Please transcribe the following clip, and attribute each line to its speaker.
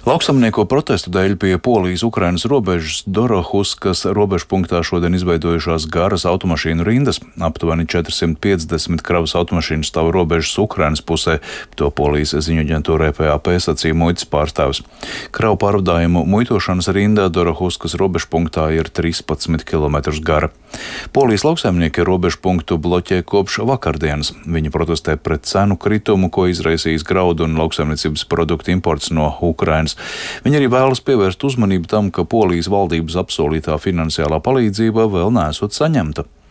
Speaker 1: Lauksaimnieku protestu dēļ pie Polijas-Ukrainas robežas Dorohuskas robežpunktā šodien izveidojušās garas automašīnu rindas. Aptuveni 450 kravas automašīnu stāv robežas Ukrainas pusē, to Polijas ziņu aģentūrai PAP sacīja muitas pārstāvis. Kravu pārvadājumu muitošanas rinda Dorohuskas robežpunktā ir 13 km gara. Polijas lauksaimnieki robežpunktu bloķē kopš vakardienas. Viņi protestē pret cenu kritumu, ko izraisījis graudu un lauksaimniecības produktu imports no Ukrainas. Viņi arī vēlas pievērst uzmanību tam, ka Polijas valdības apsolītā finansiālā palīdzība vēl neesot saņemta.